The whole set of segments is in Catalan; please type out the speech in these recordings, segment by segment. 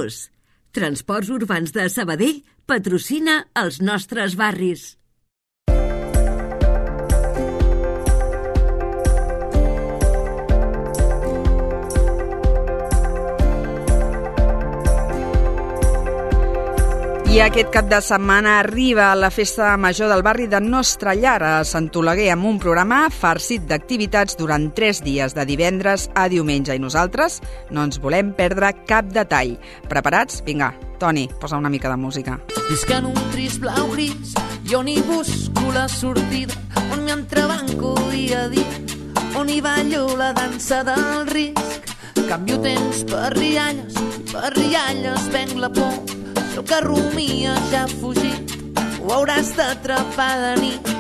Bus. Transports Urbans de Sabadell patrocina els nostres barris. I aquest cap de setmana arriba la festa major del barri de Nostra Llar a Sant Oleguer amb un programa farcit d'activitats durant 3 dies, de divendres a diumenge. I nosaltres no ens volem perdre cap detall. Preparats? Vinga, Toni, posa una mica de música. Visc en un trist blau gris i on hi busco la sortida, on m'entrebanco dia a dia, on hi ballo la dansa del risc. Canvio temps per rialles i per rialles venc la por. Si el que rumia ja ha fugit, ho hauràs d'atrapar de nit.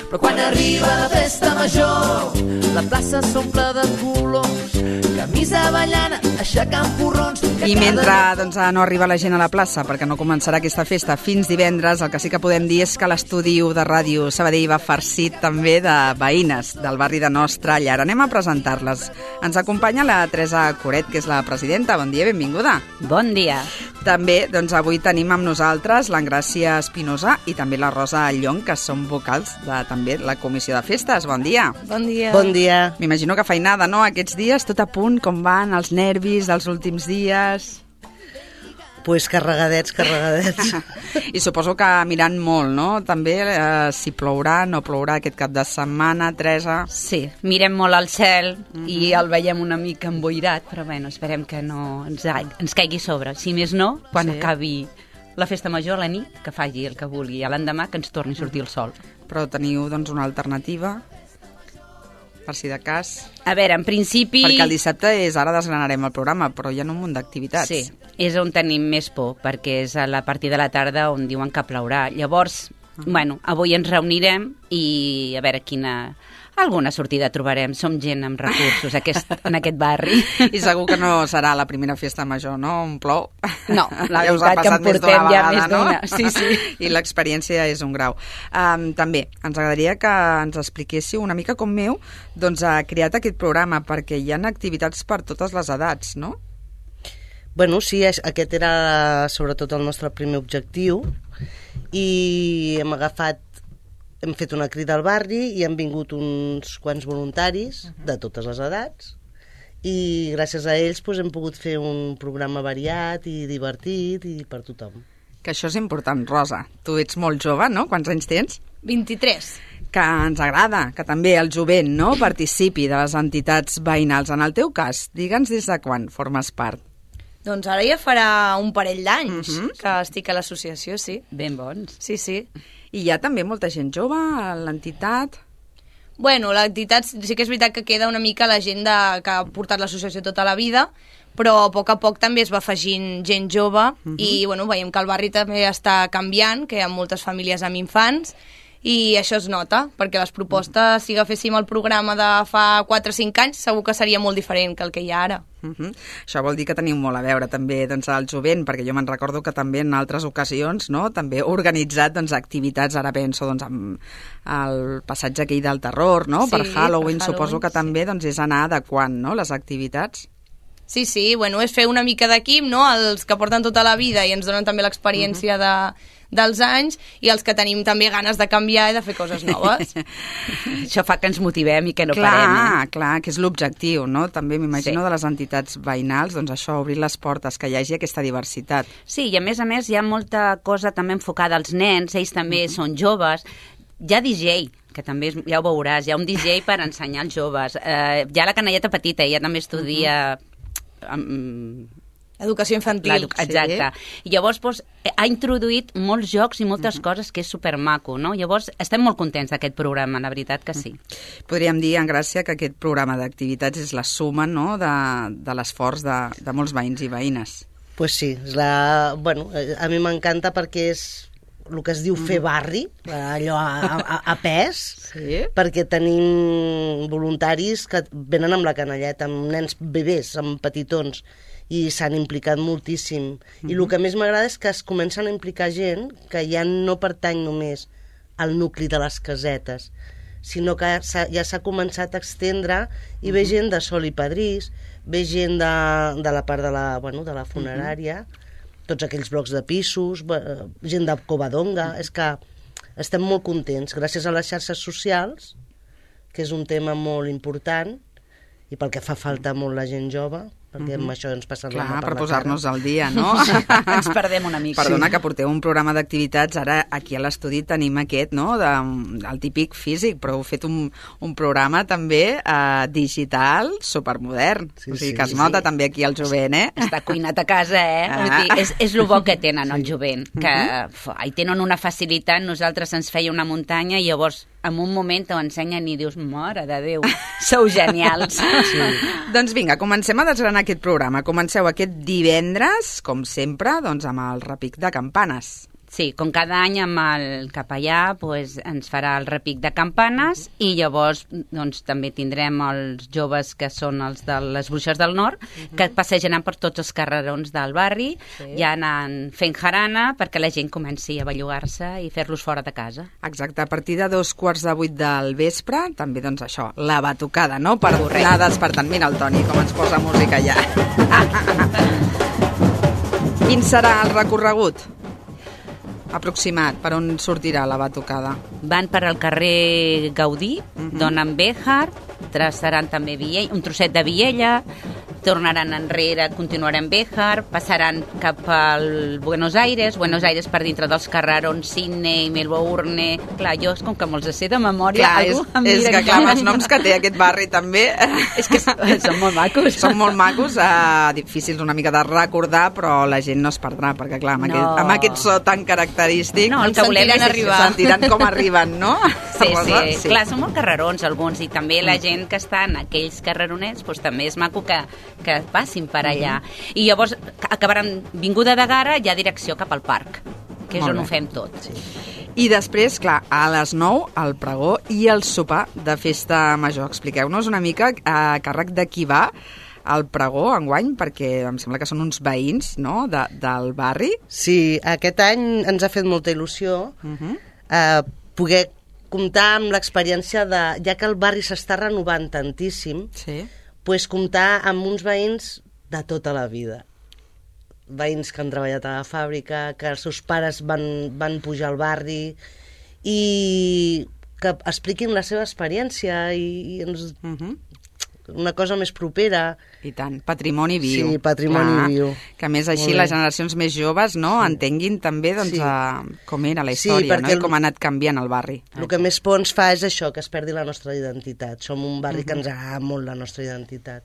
Però quan arriba la festa major, la plaça s'omple de colors, camisa ballana, aixecant porrons. I mentre no arriba la gent a la plaça, perquè no començarà aquesta festa fins divendres, el que sí que podem dir és que l'estudi de Ràdio Sabadell va farcit també de veïnes del barri de Nostra Llar. Anem a presentar-les. Ens acompanya la Teresa Coret, que és la presidenta. Bon dia, benvinguda. Bon dia. També avui tenim amb nosaltres l'Engràcia Espinosa i també la Rosa Llong, que són vocals de també la Comissió de Festes. Bon dia. Bon dia. Bon dia. M'imagino que feinada, no?, aquests dies, tot a punt, com van els nervis dels últims dies? Pues carregadets. I suposo que mirant molt, no?, també, si plourà, no plourà aquest cap de setmana, Teresa? Sí, mirem molt al cel i el veiem una mica emboirat, però bueno, esperem que no ens caigui sobre. Si més no, quan acabi la festa major a la nit, que faci el que vulgui, i a l'endemà que ens torni a sortir el sol. Però teniu, doncs, una alternativa, per si de cas? A veure, en principi... Perquè el dissabte ara desgranarem el programa, però hi ha un munt d'activitats. Sí, és on tenim més por, perquè és a la partir de la tarda on diuen que plourà. Llavors, bueno, avui ens reunirem i a veure alguna sortida trobarem. Som gent amb recursos en aquest barri. I segur que no serà la primera festa major, no? On plou. No, la veritat que en portem ja més d'una. Sí. I l'experiència és un grau. També ens agradaria que ens expliquéssiu una mica com ha creat aquest programa, perquè hi ha activitats per totes les edats, no? Bueno, sí, aquest era sobretot el nostre primer objectiu i hem fet una crida al barri i han vingut uns quants voluntaris de totes les edats i gràcies a ells hem pogut fer un programa variat i divertit i per tothom. Que això és important, Rosa. Tu ets molt jove, no? Quants anys tens? 23. Que ens agrada que també el jovent, no?, participi de les entitats veïnals. En el teu cas, digue'ns des de quan formes part. Doncs ara ja farà un parell d'anys que estic a l'associació, sí. Ben bons. Sí. I hi ha també molta gent jove a l'entitat? Bueno, l'entitat sí que és veritat que queda una mica la gent que ha portat l'associació tota la vida, però a poc també es va afegint gent jove i bueno, veiem que el barri també està canviant, que hi ha moltes famílies amb infants i això es nota, perquè les propostes, si agaféssim el programa de fa 4 o 5 anys, segur que seria molt diferent que el que hi ha ara. Això vol dir que teniu molt a veure també al jovent, perquè jo me'n recordo que també en altres ocasions, no?, també he organitzat activitats, ara penso amb el passatge aquell del terror, no?, per Halloween, suposo que també és anar adequant, no?, les activitats. Sí, bueno, és fer una mica d'equip, no?, els que porten tota la vida i ens donen també l'experiència dels anys i els que tenim també ganes de canviar i de fer coses noves. Això fa que ens motivem i que no parem. Clar, que és l'objectiu, no? També m'imagino de les entitats veïnals, això, obrir les portes, que hi hagi aquesta diversitat. Sí, i a més hi ha molta cosa també enfocada als nens, ells també són joves. Hi ha DJ, que també ja ho veuràs, hi ha un DJ per ensenyar als joves. Hi ha la canalleta petita, ella també estudia... Educació infantil. Exacte. I llavors ha introduït molts jocs i moltes coses que és supermaco, no? Llavors estem molt contents d'aquest programa, la veritat que sí. Podríem dir, Engràcia, que aquest programa d'activitats és la suma, no?, de l'esforç de molts veïns i veïnes. Pues sí, bueno, a mi m'encanta perquè és el que es diu fer barri, allò a pes, perquè tenim voluntaris que venen amb la canalleta, amb nens bebès, amb petitons, i s'han implicat moltíssim. I el que més m'agrada és que es comencen a implicar gent que ja no pertany només al nucli de les casetes, sinó que ja s'ha començat a extendre i ve gent de Sol i Padrís, ve gent de la part de la funerària, tots aquells blocs de pisos, gent de Covadonga. És que estem molt contents, gràcies a les xarxes socials, que és un tema molt important, i pel que fa falta molt la gent jove, perquè amb això ens passen la mà per la cara. Per posar-nos al dia, no? Ens perdem una mica. Perdona, que porteu un programa d'activitats, ara aquí a l'estudi tenim aquest, no?, el típic físic, però heu fet un programa també digital, supermodern, o sigui que es nota també aquí el jovent, Està cuinat a casa, Vull dir, és el bo que tenen el jovent, que hi tenen una facilitat, nosaltres ens feia una muntanya i llavors en un moment t'ho ensenyen i dius, mare de Déu, sou genials. Doncs vinga, comencem a desgranar aquest programa. Comenceu aquest divendres, com sempre, doncs amb el repic de campanes. Sí, com cada any amb el capellà ens farà el repic de campanes i llavors doncs, també tindrem els joves que són els de les Bruixes del Nord que passejaran per tots els carrerons del barri, ja anant fent jarana perquè la gent comenci a bellugar-se i fer-los fora de casa. Exacte, a partir de 7:45 del vespre, també doncs això, la batucada, no?, per anar despertant. Mira el Toni, com ens posa música ja. Quin serà el recorregut aproximat, per on sortirà la batucada? Van per al carrer Gaudí, donen Béjar, traçaran també un trosset de Viella, tornaran enrere, continuaran Béjar, passaran cap al Buenos Aires per dintre dels carrerons Sydney, Melbourne. Clar, jo és com que me'ls sé de memòria. Clar, és que clar, els noms que té aquest barri també... És que són molt macos. Són molt macos, difícils una mica de recordar, però la gent no es perdrà, perquè clar, amb aquest so tan característic... No, el que volem és arribar. Sentiran com arriben, no? Sí. Clar, són molt carrerons alguns, i també la gent que està en aquells carreronets, doncs també és maco que passin per allà. I llavors acabaran vinguda de Gara, ja direcció cap al parc, que és on ho fem tot. I després, clar, a les 9, el pregó i el sopar de festa major. Expliqueu-nos una mica a càrrec de qui va el pregó enguany, perquè em sembla que són uns veïns, no?, del barri. Sí, aquest any ens ha fet molta il·lusió poder comptar amb l'experiència de... Ja que el barri s'està renovant tantíssim, comptar amb uns veïns de tota la vida. Veïns que han treballat a la fàbrica, que els seus pares van pujar al barri i que expliquin la seva experiència i ens... una cosa més propera. I tant, patrimoni viu. Sí, patrimoni viu. Que a més així les generacions més joves entenguin també com era la història, i com ha anat canviant el barri. El que més por ens fa és això, que es perdi la nostra identitat. Som un barri que ens agrada molt la nostra identitat.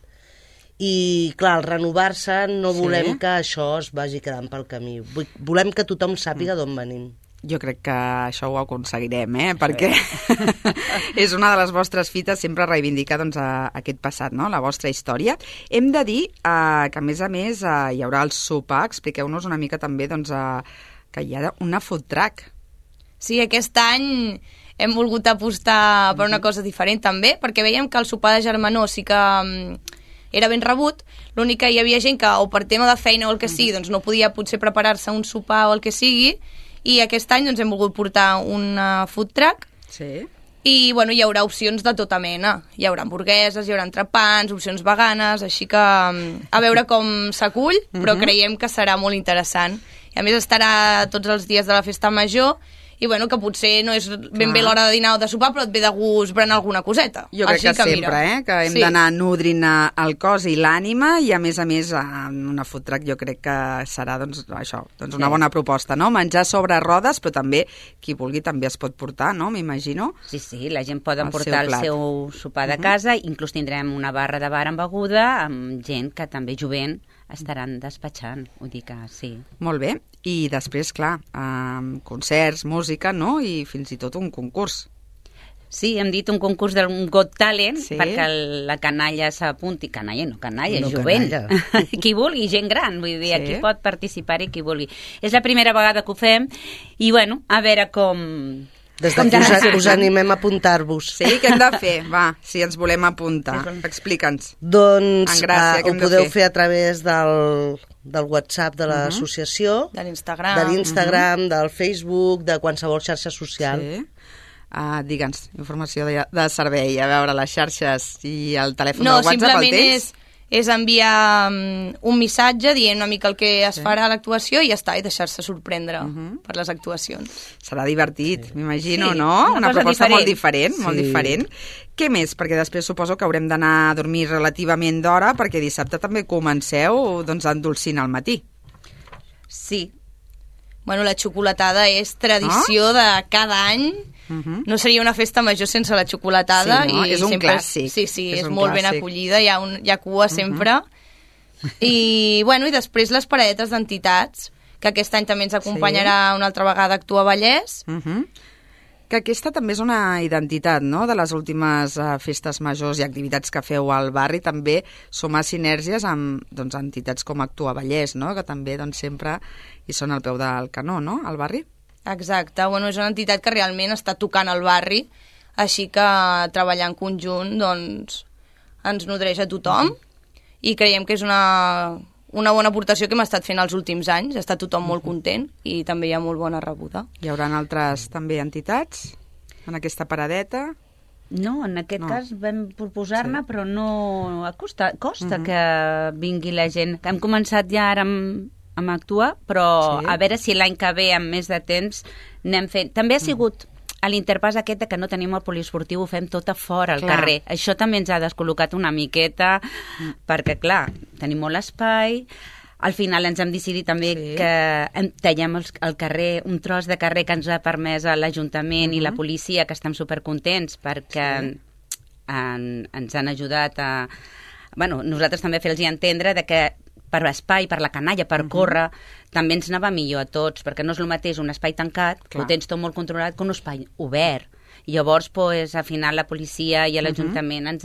I, clar, al renovar-se no volem que això es vagi quedant pel camí. Volem que tothom sàpiga d'on venim. Jo crec que això ho aconseguirem, perquè és una de les vostres fites sempre reivindicar aquest passat, no?, la vostra història. Hem de dir que, a més, hi haurà el sopar. Expliqueu-nos una mica també que hi ha una food truck. Sí, aquest any hem volgut apostar per una cosa diferent també, perquè veiem que el sopar de germanor sí que era ben rebut, l'únic que hi havia gent que o per tema de feina o el que sigui doncs no podia potser preparar-se un sopar o el que sigui, i aquest any hem volgut portar una food truck i hi haurà opcions de tota mena. Hi haurà hamburgueses, hi haurà entrepans, opcions veganes, així que a veure com s'acull, però creiem que serà molt interessant. I a més estarà tots els dies de la festa major i que potser no és ben bé l'hora de dinar o de sopar, però et ve de gust berenar alguna coseta. Jo crec que sempre, que hem d'anar nodrint el cos i l'ànima, i a més, una food truck jo crec que serà una bona proposta, no? Menjar sobre rodes, però també qui vulgui també es pot portar, no? M'imagino. Sí, la gent pot emportar el seu sopar de casa, inclús tindrem una barra de bar amb beguda, amb gent que també jovent estaran despatxant, vull dir que sí. Molt bé, i després, clar, concerts, música, no?, i fins i tot un concurs. Sí, hem dit un concurs d'un Got Talent, perquè la canalla s'apunti, canalla, jovent, qui vulgui, gent gran, vull dir, aquí pot participar-hi qui vulgui. És la primera vegada que ho fem, i a veure com... Des d'aquí us animem a apuntar-vos. Sí, què hem de fer? Va, si ens volem apuntar. Explica'ns. Doncs ho podeu fer a través del WhatsApp de l'associació, de l'Instagram, del Facebook, de qualsevol xarxa social. Digue'ns, informació de servei, a veure les xarxes i el telèfon No, de WhatsApp, el tens? és enviar un missatge dient una mica el que es farà a l'actuació i ja està, i deixar-se sorprendre per les actuacions. Serà divertit, m'imagino, Sí, no? una cosa proposta diferent. molt diferent, molt Sí. diferent. Què més? Perquè després suposo que haurem d'anar a dormir relativament d'hora, perquè dissabte també comenceu doncs, endolcint al matí. Sí, Bueno, la xocolatada és tradició de cada any. No seria una festa major sense la xocolatada. Sí, no? I És un sempre clàssic. Sí, És és un molt ben clàssic. acollida, hi ha cua sempre. I després les paradetes d'entitats, que aquest any també ens acompanyarà una altra vegada a Actua Vallès. Que aquesta també és una identitat, no?, de les últimes festes majors i activitats que feu al barri, també sumar sinergies amb doncs, entitats com Actua Vallès, no?, que també doncs, sempre hi són al peu del canó, no?, al barri. Exacte, bueno, és una entitat que realment està tocant el barri, així que treballar en conjunt doncs, ens nodreix a tothom i creiem que és una bona aportació que hem estat fent els últims anys, està tothom molt content i també hi ha molt bona rebuda. Hi haurà altres també entitats en aquesta paradeta? no, en aquest No. cas vam proposar-ne, però no... Costa que vingui la gent. Hem començat ja ara amb actuar, però Sí. a veure si l'any que ve, amb més de temps, anem fent... També ha sigut a l'interpàs aquest de que no tenim el poliesportiu, ho fem tot a fora, al Clar. carrer. Això també ens ha descol·locat una miqueta, perquè, clar, tenim molt espai. Al final ens hem decidit també Sí. que tallem el carrer, un tros de carrer que ens ha permès l'Ajuntament i la policia, que estem supercontents perquè ens han ajudat a... Bueno, nosaltres també fer-los entendre de que per espai, per la canalla, per córrer, també ens anava millor a tots, perquè no és el mateix un espai tancat, que Clar. ho tens tot molt controlat, que un espai obert. I llavors, pues, al final, la policia i l'Ajuntament ens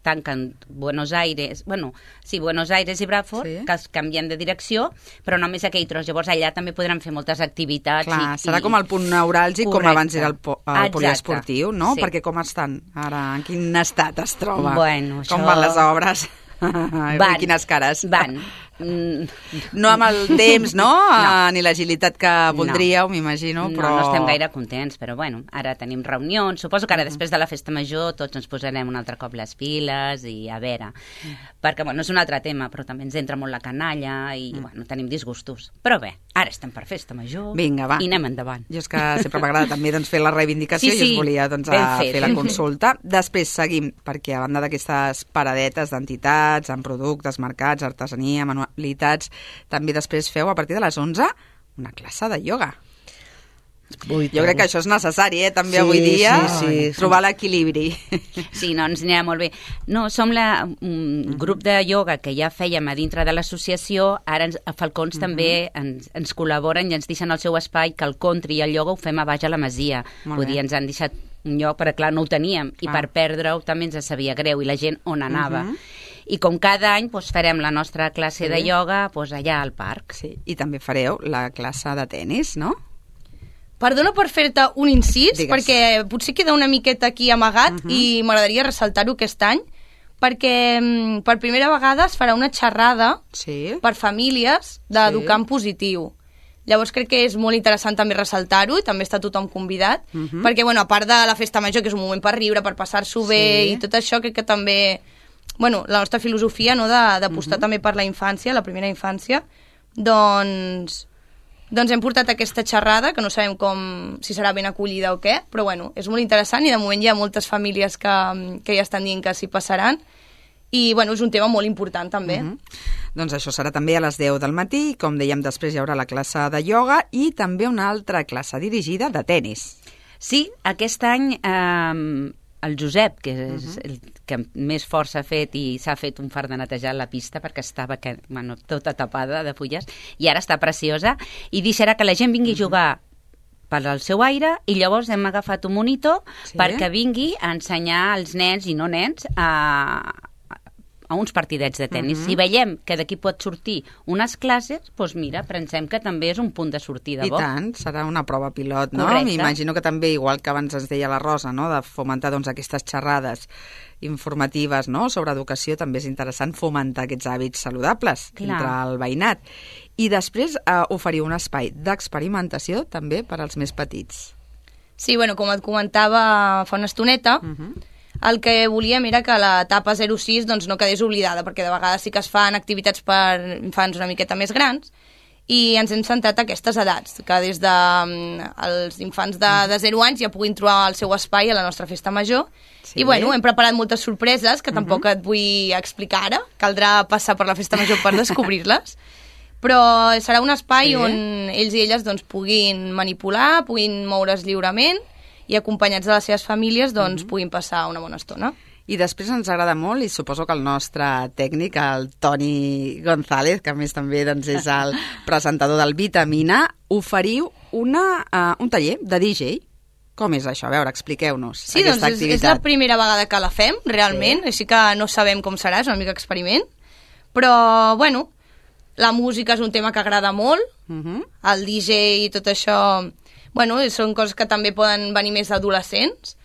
tanquen Buenos Aires i Bradford, Sí. que els canviem de direcció, però només aquell tros. Llavors allà també podran fer moltes activitats. Clar, serà com el punt neuràlgic, com Correcte. abans era el Exacte. poliesportiu, no? Sí. Perquè com estan ara? En quin estat es troba? Bueno, Com això- van les obres? I quines cares? Van. No amb el temps, no? Ni l'agilitat que voldríeu, m'imagino, però... No estem gaire contents, però bueno, ara tenim reunions. Suposo que ara després de la festa major tots ens posarem un altre cop les piles i a veure. Perquè, bueno, és un altre tema, però també ens entra molt la canalla i, bueno, tenim disgustos. Però bé, ara estem per festa major. Vinga, va. I anem endavant. Jo és que sempre m'agrada també doncs, fer la reivindicació Sí, i us sí, volia doncs, ben fet. fer la consulta. Després seguim, perquè a banda d'aquestes paradetes d'entitats, amb productes, mercats, artesania, manualitats, també després feu a partir de les 11 una classe de ioga. Ui, Jo crec que això és necessari, també Sí, avui dia, sí. trobar l'equilibri. Sí, no, ens anirà molt bé. No, som un grup de ioga que ja fèiem a dintre de l'associació, ara a Falcons també ens col·laboren i ens deixen el seu espai, que el country i el ioga ho fem a baix a la Masia. Molt Vull bé. dir, ens han deixat un lloc, perquè clar, no ho teníem, i per perdre-ho també ens sabia greu, i la gent on anava. I com cada any doncs, farem la nostra classe de ioga doncs, allà al parc. Sí, i també fareu la classe de tennis, no? Perdona per fer-te un incís, Digues. perquè potser queda una miqueta aquí amagat i m'agradaria ressaltar-ho aquest any, perquè per primera vegada es farà una xerrada Sí. per famílies d'educar en positiu. Llavors crec que és molt interessant també ressaltar-ho i també està tothom convidat, perquè bueno, a part de la festa major, que és un moment per riure, per passar-s'ho bé Sí. i tot això, crec que també... Bueno, la nostra filosofia, no?, d'apostar també per la infància, la primera infància, doncs hem portat aquesta xerrada, que no sabem si serà ben acollida o què, però bueno, és molt interessant i de moment hi ha moltes famílies que ja estan dient que s'hi passaran i bueno, és un tema molt important també. Doncs això serà també a les 10 del matí i, com dèiem, després hi haurà la classe de ioga i també una altra classe dirigida de tennis. Sí, aquest any el Josep, que és el que més força ha fet i s'ha fet un fart de netejar la pista perquè estava tota tapada de fulles i ara està preciosa i deixarà que la gent vingui a jugar per al seu aire i llavors hem agafat un monitor perquè vingui a ensenyar als nens i no nens a uns partidets de tennis. Si veiem que d'aquí pot sortir unes classes, doncs mira, pensem que també és un punt de sortida bo. I tant, serà una prova pilot, no? Correcte. M'imagino que també, igual que abans ens deia la Rosa, no?, de fomentar doncs, aquestes xerrades informatives, no?, sobre educació, també és interessant fomentar aquests hàbits saludables entre el veïnat. I després oferiu un espai d'experimentació també per als més petits. Sí, bueno, com et comentava fa una estoneta, el que volíem era que l'etapa 0-6 doncs, no quedés oblidada, perquè de vegades sí que es fan activitats per infants una miqueta més grans, i ens hem centrat a aquestes edats, que des dels infants de 0 anys ja puguin trobar el seu espai a la nostra festa major. Sí. I bueno, hem preparat moltes sorpreses que tampoc et vull explicar ara, caldrà passar per la festa major per descobrir-les, però serà un espai on ells i elles doncs, puguin manipular, puguin moure's lliurement i acompanyats de les seves famílies doncs, puguin passar una bona estona. I després ens agrada molt, i suposo que el nostre tècnic, el Toni González, que a més també doncs, és el presentador del Vitamina, oferiu un taller de DJ. Com és això? A veure, expliqueu-nos aquesta activitat. Sí, és la primera vegada que la fem, realment, així que no sabem com serà, és una mica experiment, però, bueno, la música és un tema que agrada molt, el DJ i tot això, bueno, són coses que també poden venir més adolescents,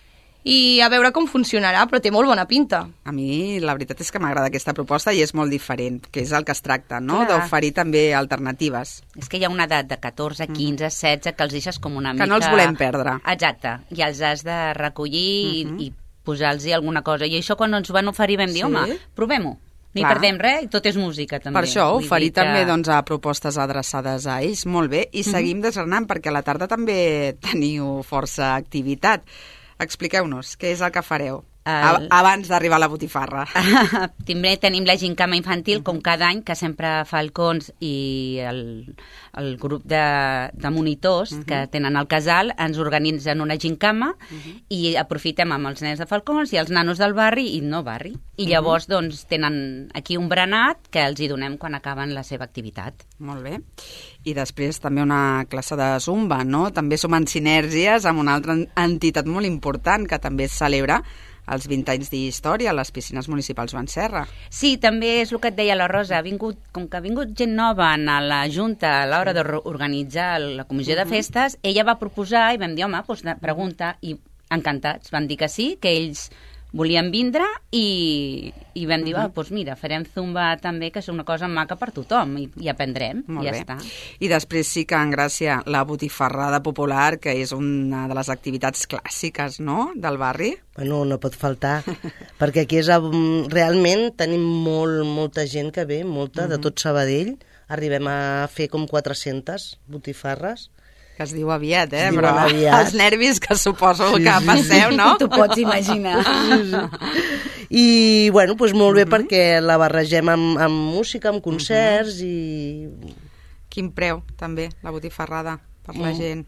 i a veure com funcionarà, però té molt bona pinta. A mi la veritat és que m'agrada aquesta proposta i és molt diferent, que és el que es tracta, no? D'oferir també alternatives. És que hi ha una edat de 14, 15, 16 que els deixes com una mica... Que no els volem perdre. Exacte, i els has de recollir i posar-los alguna cosa. I això quan ens van oferir vam dir, home, provem-ho. No hi perdem res i tot és música també. Per això, oferir també doncs, a propostes adreçades a ells, molt bé. I seguim desgranant perquè a la tarda també teniu força activitat. Expliqueu-nos, què és el que fareu abans d'arribar a la botifarra? També tenim la gincama infantil, com cada any, que sempre Falcons i el grup de monitors que tenen al casal ens organitzen una gincama i aprofitem amb els nens de Falcons i els nanos del barri i no barri. I llavors doncs, tenen aquí un berenat que els hi donem quan acaben la seva activitat. Molt bé. I després també una classe de zumba, no? També som en sinergies amb una altra entitat molt important que també es celebra els 20 anys d'història a les piscines municipals Joan Serra. Sí, també és el que et deia la Rosa. Com que ha vingut gent nova a la Junta a l'hora d'organitzar la comissió de festes, ella va proposar i vam dir, home, doncs pregunta, i encantats. Van dir que sí, que ells volien vindre i vam dir, doncs mira, farem zumba també, que és una cosa maca per tothom i aprendrem, i ja està. I després sí que en Gràcia la botifarrada popular, que és una de les activitats clàssiques, no?, del barri. Bueno, no pot faltar, perquè aquí realment tenim molta gent que ve, molta, de tot Sabadell. Arribem a fer com 400 botifarres. Que es diu aviat, però els nervis que suposo que passeu, no? T'ho pots imaginar. I, bueno, doncs molt bé perquè la barregem amb música, amb concerts i... Quin preu, també, la botifarrada, per la gent?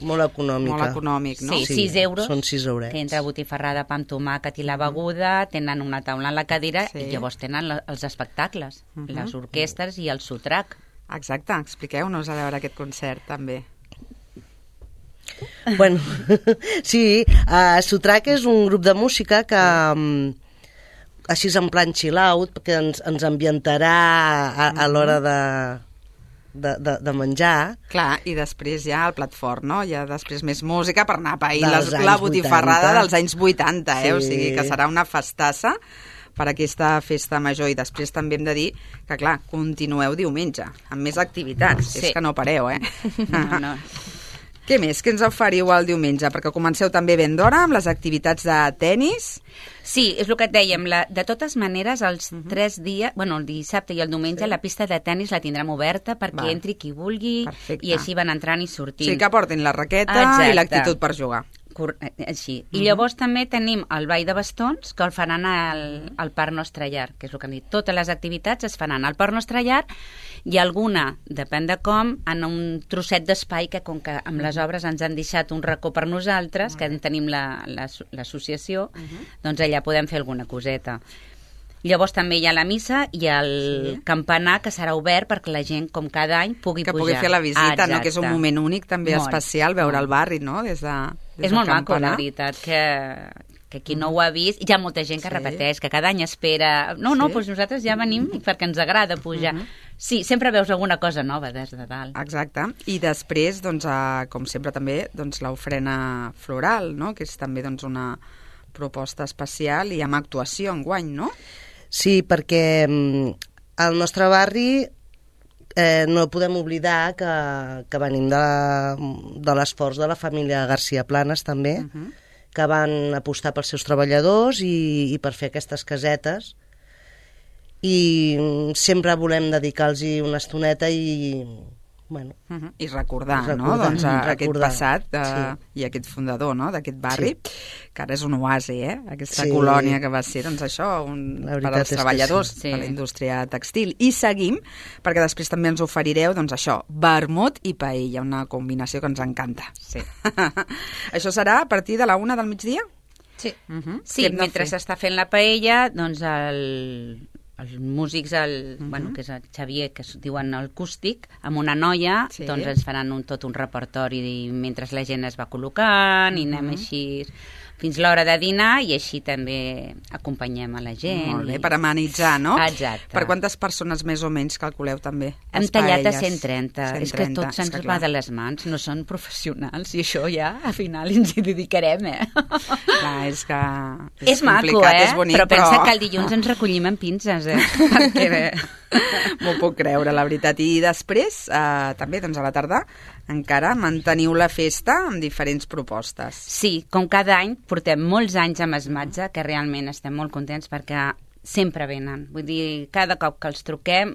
Molt econòmica. Molt econòmic, no? Sí, 6 euros. Són 6 eurets. Que entre botifarrada, pa amb tomàquet i la beguda, tenen una taula en la cadira i llavors tenen els espectacles, les orquestres i el sotrac. Exacte, expliqueu-nos a veure aquest concert, també. Bueno, sí, Sotrac és un grup de música que així en plan chill out, que ens ambientarà a l'hora de menjar. Clar, i després ja el plat fort, no? Ja després més música per anar a pair la botifarrada dels anys 80, O sigui que serà una festassa per aquesta festa major. I després també hem de dir que, clar, continueu diumenge, amb més activitats. És que no pareu, No. Què més? Què ens oferiu el diumenge? Perquè comenceu també ben d'hora amb les activitats de tennis. Sí, és el que et dèiem. De totes maneres, els 3 dies, bueno, el dissabte i el diumenge, la pista de tennis la tindrem oberta perquè entri qui vulgui. Perfecte. I així van entrant i sortint. Sí, que portin la raqueta i l'actitud per jugar. Així. I llavors també tenim el ball de bastons, que el faran al Parc Nostre Llar, que és el que hem dit. Totes les activitats es faran al Parc Nostre Llar i alguna, depèn de com, en un trosset d'espai que, com que amb les obres ens han deixat un racó per nosaltres, que en tenim l'associació, doncs allà podem fer alguna coseta. Llavors també hi ha la missa i el campanar, que serà obert perquè la gent, com cada any, pugui pujar. Que pugui fer la visita, no? Que és un moment únic, també especial, veure el barri, no? És molt maco, la veritat, que qui no ho ha vist, hi ha molta gent que repeteix, que cada any espera... No, doncs nosaltres ja venim perquè ens agrada pujar. Sí, sempre veus alguna cosa nova des de dalt. Exacte. I després, doncs, com sempre també, doncs, l'ofrena floral, no? Que és també una proposta especial i amb actuació enguany, no? Sí, perquè al nostre barri no podem oblidar que venim de l'esforç de la família García Planas també, que van apostar pels seus treballadors i per fer aquestes casetes, i sempre volem dedicar-los una estoneta i recordar, no? Doncs aquest passat i aquest fundador, no?, d'aquest barri, que ara és un oasi, aquesta colònia que va ser, doncs això, per als treballadors de la indústria textil. I seguim, perquè després també ens oferireu, doncs això, vermut i paella, una combinació que ens encanta. Sí. Això serà a partir de la 1 del migdia? Sí. Sí, mentre s'està fent la paella, doncs els músics, que és el Xavier, que es diuen el acústic, amb una noia, doncs ens faran tot un repertori mentre la gent es va col·locant i anem així fins l'hora de dinar i així també acompanyem a la gent. Molt bé, per amenitzar, no? Exacte. Per quantes persones més o menys calculeu també? Hem tallat a 130. És que tot se'ns va de les mans, no són professionals i això ja, al final, ens hi dedicarem, Clar, és que és maco, és bonic, però pensa que el dilluns ens recollim amb pinces, perquè m'ho puc creure, la veritat. I després, també, doncs a la tarda, encara manteniu la festa amb diferents propostes. Sí, com cada any, portem molts anys amb Esmatge, que realment estem molt contents perquè sempre venen. Vull dir, cada cop que els truquem,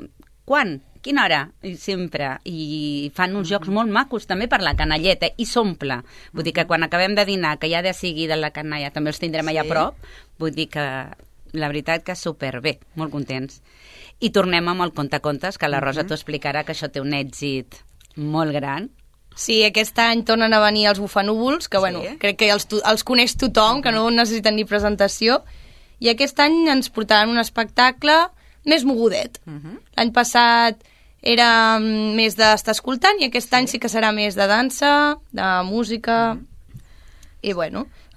quan? Quina hora? I sempre. I fan uns jocs molt macos també per la canalleta i s'omple. Vull dir que quan acabem de dinar, que ja de seguida la canalla també els tindrem allà a prop, vull dir que la veritat que superbé, molt contents. I tornem amb el contacontes, que la Rosa t'ho explicarà, que això té un èxit molt gran. Sí, aquest any tornen a venir els bufanúvols, que crec que els coneix tothom, que no necessiten ni presentació, i aquest any ens portaran un espectacle més mogudet. L'any passat era més d'estar escoltant i aquest any sí que serà més de dansa, de música, i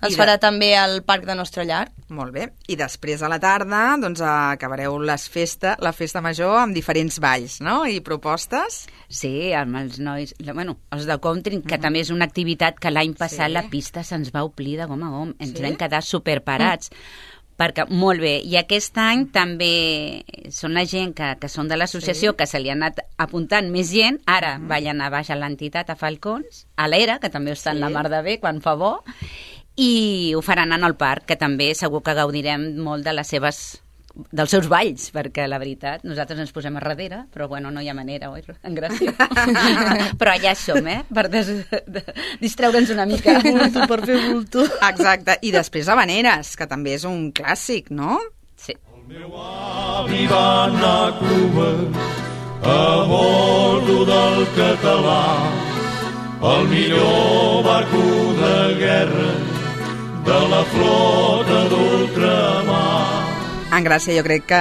es farà també al Parc de Nostra Llar. Molt bé. I després a la tarda doncs acabareu la festa major amb diferents balls, no? I propostes. Sí, amb els nois, els de country, que també és una activitat que l'any passat la pista se'ns va omplir de gom a gom. Ens vam quedar superparats. Perquè, molt bé, i aquest any també són la gent que són de l'associació, que se li ha anat apuntant més gent, ara ballen a baix a l'entitat, a Falcons, a l'Era, que també està en la mar de bé, quan fa bo, i ho faran en el parc, que també segur que gaudirem molt de dels seus balls, perquè la veritat, nosaltres ens posem a darrere, però no hi ha manera, oi? En gràcia. Però allà som, per distreure'ns una mica. Per fer bulto. Exacte, i després Havaneres, que també és un clàssic, no? Sí. El meu avi va anar a Cuba a bordo del Català, el millor barco de guerra de la flota d'ultramar. En Gràcia, jo crec que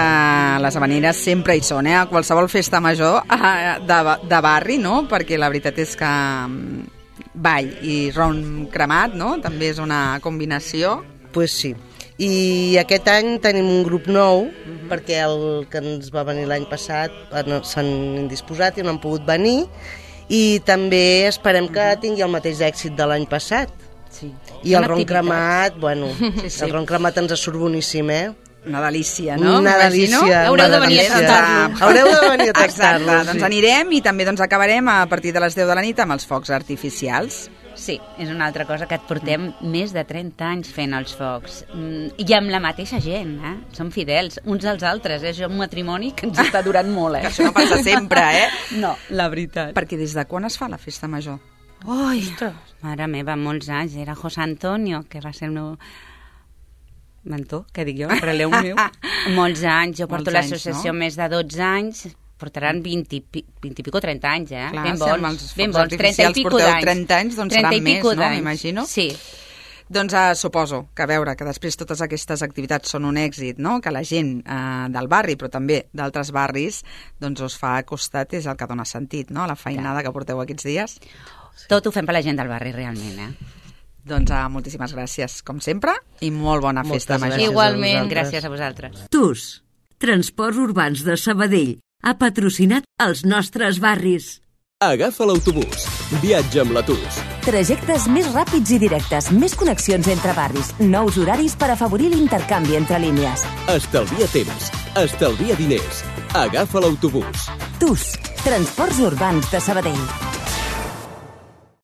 les Havaneres sempre hi són, a qualsevol festa major de barri, no? Perquè la veritat és que ball i ron cremat, no? També és una combinació. Pues sí. I aquest any tenim un grup nou, perquè el que ens va venir l'any passat s'han indisposat i no han pogut venir, i també esperem que tingui el mateix èxit de l'any passat. Sí. I el ron cremat, el ron cremat ens surt boníssim, Una delícia, no? Una delícia. Haureu de venir a tastar-lo. Haureu de venir a tastar-lo. Exacte, doncs anirem i també acabarem a partir de les 10 de la nit amb els focs artificials. Sí, és una altra cosa que et portem més de 30 anys fent els focs. I amb la mateixa gent, Som fidels, uns als altres, És un matrimoni que ens està durant molt, Que això no passa sempre, No, la veritat. Perquè des de quan es fa la festa major? Ui, mare meva, molts anys. Era José Antonio, que va ser el meu mentor, què dic jo, relleu meu. Molts anys, jo porto l'associació més de 12 anys, portaran 20 i pico, 30 anys, Clar, ben bons, 30 i pico d'anys. 30 anys, doncs seran més, no? M'imagino. Sí. Doncs suposo que que després totes aquestes activitats són un èxit, no? Que la gent del barri, però també d'altres barris, doncs us fa costat, és el que dona sentit, no? La feinada que porteu aquests dies. Tot ho fem per la gent del barri, realment, Doncs moltíssimes gràcies, com sempre, i molt bona festa major. Igualment. Gràcies a vosaltres. TUS, Transports Urbans de Sabadell, ha patrocinat els nostres barris. Agafa l'autobús. Viatja amb la TUS. Trajectes més ràpids i directes, més connexions entre barris, nous horaris per afavorir l'intercanvi entre línies. Estalvia temps, estalvia diners. Agafa l'autobús. TUS, Transports Urbans de Sabadell.